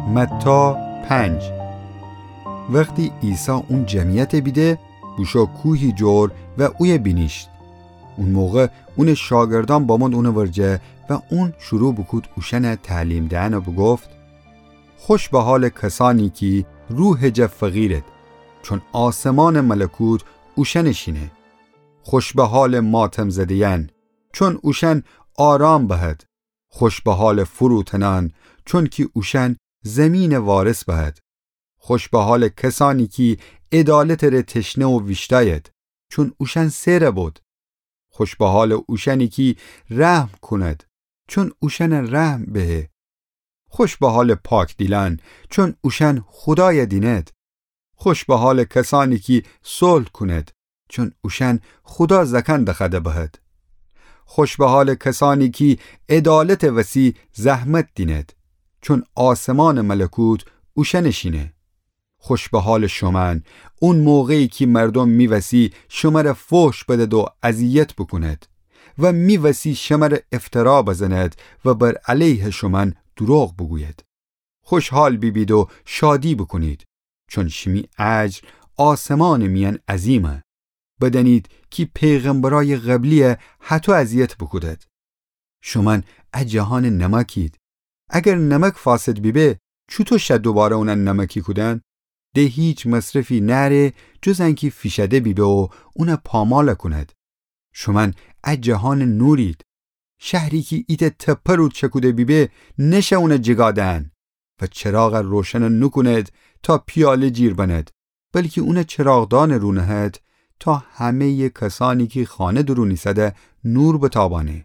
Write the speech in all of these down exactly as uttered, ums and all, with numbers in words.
متی پنج. وختی عیسی اون جمعیت بیده، بوشو کوهی جور و اویه بینیشت. اون موقع اونٚ شاگردأن بامؤد اونٚ ورجه و اون شروع بوکود اوشأنٚ تعلیم دئن و بوگفت: خوش به حالٚ کسأنی کی روحٚ جا فقیرد، چون آسمانٚ ملکوت اوشأنٚ شینه. خوش به حالٚ ماتم‌زده‌یأن، چون اوشأن آرام بهد. خوش به حالٚ فروتنأن، چونکی اوشأن زیمینٚ وارث بهد. خوش به حالٚ کسأنی کی عدالتٚ ره تشنه و ویشتأید، چون اوشأن سئر بود. خوش به حالٚ اوشأنی کی رحم کونید، چون اوشأنٚ رحم بهه. خوش به حالٚ پاک‌دیلأن، چون اوشأن خودای دیند. خوش به حالٚ کسأنی کی صلح کونید، چون اوشأن خودا زأکأن دخوأده بهد. خوش به حالٚ کسأنی کی عدالتٚ وسی زحمت دینید، چون آسمانٚ ملکوت اوشأنٚ شینه. خوش به حالٚ شومأن، اون موقعی کی مردوم می وسی شمره فحش بدد و اذیت بوکونید و می وسی شمره افترا بزنید و بر علیه شومأن دوروغ بوگوید. خوشحال بیبید و شادی بوکونید، چون شیمی اجر آسمانٚ میأن عظیمه. بدأنید کی پیغمبرأیٚ قبلیی هطو اذیت بوکودید. شومأن ا جهانٚ نمکید. اگر نمک فاسد بیبه، چوطو شه دوباره اون نمکی کودن؟ د هیچ مصرفی نأره جز انکی فیشأده بیبه و اون پامال کونید. شومأن ا جهانٚ نورید. شهری کی ایتأ تپه رو چکوده بیبه، نشه اون جیگا دهن و چراغ روشن نوکونید تا پیاله جیر بنید، بلکی اون چراغدانٚ رو نهد تا همه‌یٚ کسأنی کی خانه درون ایسده نور بتابأنه.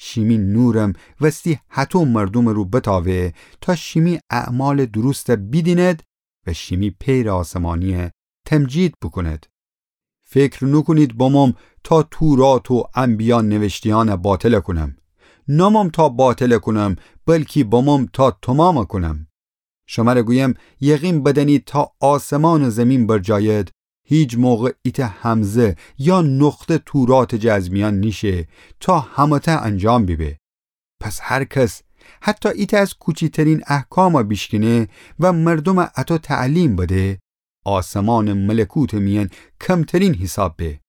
شیمی نورم وستی هطو مردومٚ رو بتاوه تا شیمی اعمالٚ درست بیدینید و شیمی پئرٚ آسمانیی تمجید بوکونید. فکر نوکونید بموم تا تورات و انبیا نوشته‌یأن باطل کونم. ناموم تا باطل کونم، بلکی بموم تا تومام کونم. شمره گویم، یقین بدأنید تا آسمان و زیمین برجاید، هیچ موقع ایتأ همزه یا نقطه توراتٚ جا از میأن نیشه تا همه‌تأ انجام بیبه. پس هر کس حتی ایتأ از کوچیترین احکام بیشکنه و مردوم اطو تعلیم بده، آسمانٚ ملکوتٚ میأن کمترین حیساب به.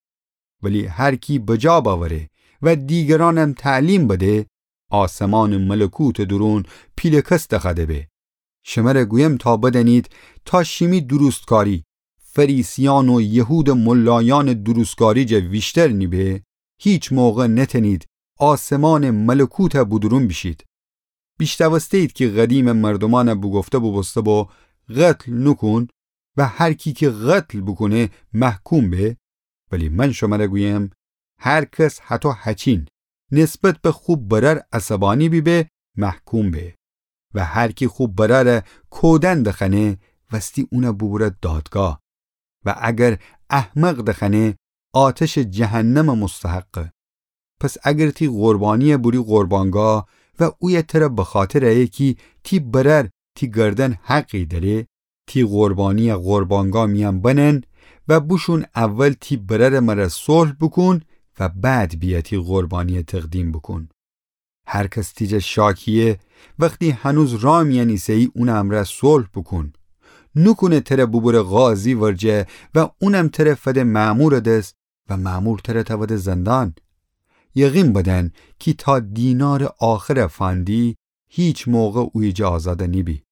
ولی هر کی بجا بأوره و دیگرأنم تعلیم بده، آسمانٚ ملکوتٚ دورون پیله‌کس دخوأده به. شمره گویم تا بدأنید تا شیمی درستکاری فریسیأن و یهودٚ ملایأنٚ درستکاری جا ویشتر نیبه، هیچ موقع نتأنید آسمانٚ ملکوت بودورون بیشید. بیشنوسته‌یید کی قدیمٚ مردومأن بوگفته بوبوسته بو، قتل نوکون و هر کی کی قتل بوکونه محکوم به. ولی من شمره گویم، هر کس هطو هچین نسبت به خو برأر عصبانی بیبه، محکوم به. و هر کی خو برأر کودن دخوأنه، وستی اون بوبوره دادگاه. و اگر احمق دخوأنه، آتشٚ جهنم مستحقه. پس اگر تی قربانیی بوری قربانگاه و اویه تره بخاطر ایه کی تی برأر تی گردن حقی دأره، تی قربانیی قربانگاه میأن بنن و بوشون اول تی برأرٚ مره صلح بوکون و بعد بیأ تی قربانیی تقدیم بوکون. هر کس تی جا شاکییه، وختی هنوز راه میأن ایسه‌یی اونٚ امرأ صلح بوکون. نوکونه تره بوبوره قاضی ورجه و اونم تره فده مأمورٚ دس و مأمور تره تأوده زندان. یقین بدأن کی تا دینارٚ آخر فأندی، هیچ موقع اویه جا آزاد نیبی.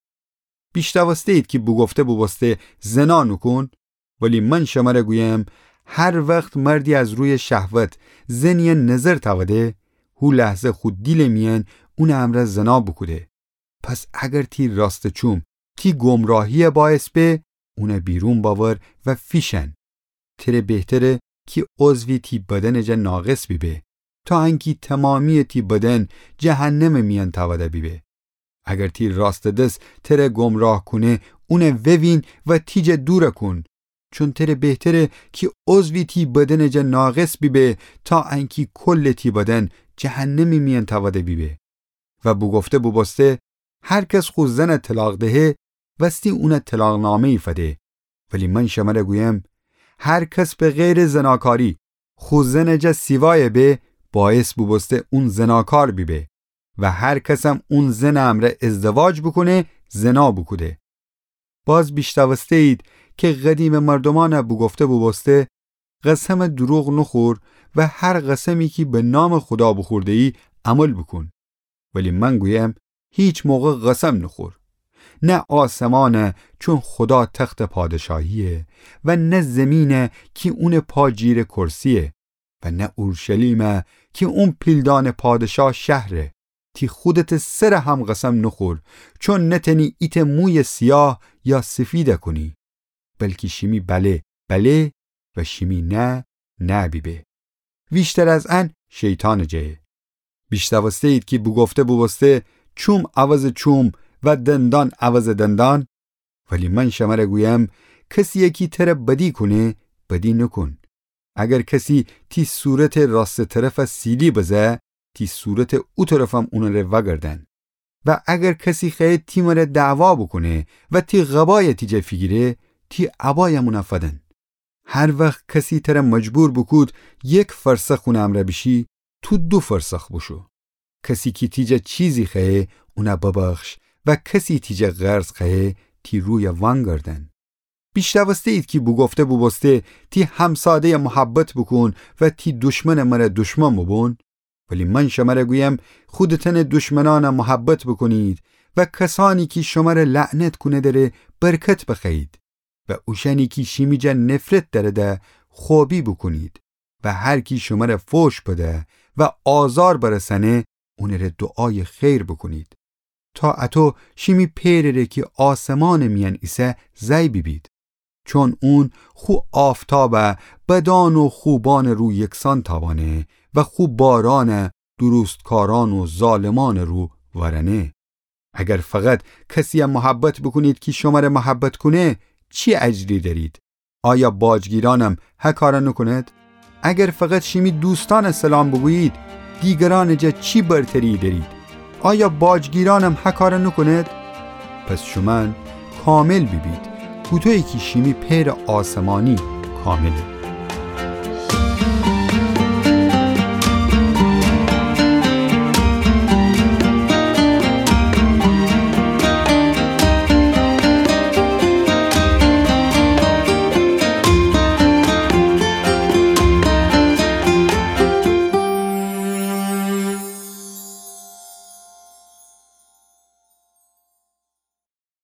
بیشنوسته‌یید کی بوگفته بوبوسته، زنا نوکون. ولی من شمره گویم، هر وخت مردی از رویٚ شهوت زنیی نظر تأوده، هو لحظه خو دیلٚ میأن اونٚ امرأ زنا بوکوده. پس اگر تی راستٚ چوم تی گمراهیی باعث به، اون بیرون بأور و فیشأن. تره بهتره کی عضوی تی بدنٚ جا ناقص بیبه، تا انکی تومامییٚ تی بدن جهنمٚ میأن تأوده بیبه. اگر تی راستٚ دس تره گمراه کونه، اون ووین و تی جا دور کون. چون تره بهتره کی عضوی تی بدنٚ جا ناقص بیبه، تا انکی کلٚ تی بدن جهنمٚ میأن تأوده بیبه. و بوگفته بوبوسته، هر کس خو زن طلاق دهه، وستی اون طلاقنامه‌یی فده. ولی من شمره گویم، هر کس به غیرٚ زناکاری خو زنٚ جا سیوایه به، باعث بوبوسته اون زناکار بیبه. و هر کسم اون زنٚ امرأ ازدواج بوکونه، زنا بوکوده. باز بیشتاوسته‌یید کی قدیمٚ مردومأن بوگفته بوبوسته، قسمٚ دوروغ نوخور و هر قسمی کی به نامٚ خودا بوخورده‌یی عمل بوکون. ولی من گویم، هیچ موقع قسم نوخور. نه آسمان، چون خودا تختٚ پادشاهییه و نه زیمین کی اونٚ پا جیرٚ کرسییه و نه اورشلیم کی اون پیلدانٚ پادشاه شهره. تی خودتٚ سر هم قسم نوخور، چون نتأنی ایتأ مویٚ سیاه یا سفید کونی. بلکی شیمی بله، بله و شیمی نه، نه بیبه. ویشتر از ان شیطانٚ جأیه. بیشتاوسته‌یید کی بوگفته بوبوسته، چوم عوضٚ چوم و دندان عوضٚ دندان. ولی من شمر گویم، کسیی کی تر بدی کونه، بدی نوکون. اگر کسی تی صورتٚ راستٚ طرف سیلی بزه، تی صورتٚ او طرفم اونٚ ره وأگردن. و اگر کسی خوأیه تی مره دعوا بوکونه و تی قبای تی جا فیگیره، تی عبایم اون فدن. هر وخت کسی تر مجبور بوکود یک فرسخ اونٚ امرأ بیشی، تو دو فرسخ بوشو. کسی کی تی جا چیزی خوأیه، اون ببخش و کسی تی جا قرض خوأیه، تی روی وأنگردن. بیشتاوسته‌یید کی بوگفته بوبوسته، تی همساده‌ی محبت بوکون و تی دشمنٚ مره دشمن بوبون. ولی من شمر گویم، خودتأنٚ دشمنأن محبت بوکونید و کسأنی کی شمر لعنت کونه دره برکت بخوأیید و اوشأنی کی شیمی جا نفرت دأرده خوبی بوکونید و هر کی شمر فوش بده و آزار برسأنه، اونٚ ره دعای خیر بوکونید. تا اطو شیمی پئرٚ ره کی آسمانٚ میأن ایسه زأی بیبید. چون اون خو آفتاب بدأن و خوبأنٚ رو یکسان تاوأنه و خو باران درستکارأن و ظالمأنٚ رو وأرأنه. اگر فقط کسیی محبت بوکونید کی شمر محبت کونه، چی اجری دأرید؟ آیا باجگیرأنم هه کار نوکونید؟ اگر فقط شیمی دوستأن سلام بوگویید، دیگرأنٚ جا چی برتری دأرید؟ آیا باجگیرأنم هه کار نوکونید؟ پس شومأن کامل بیبید، هوطویی کی شیمی پئرٚ آسمانی کامله.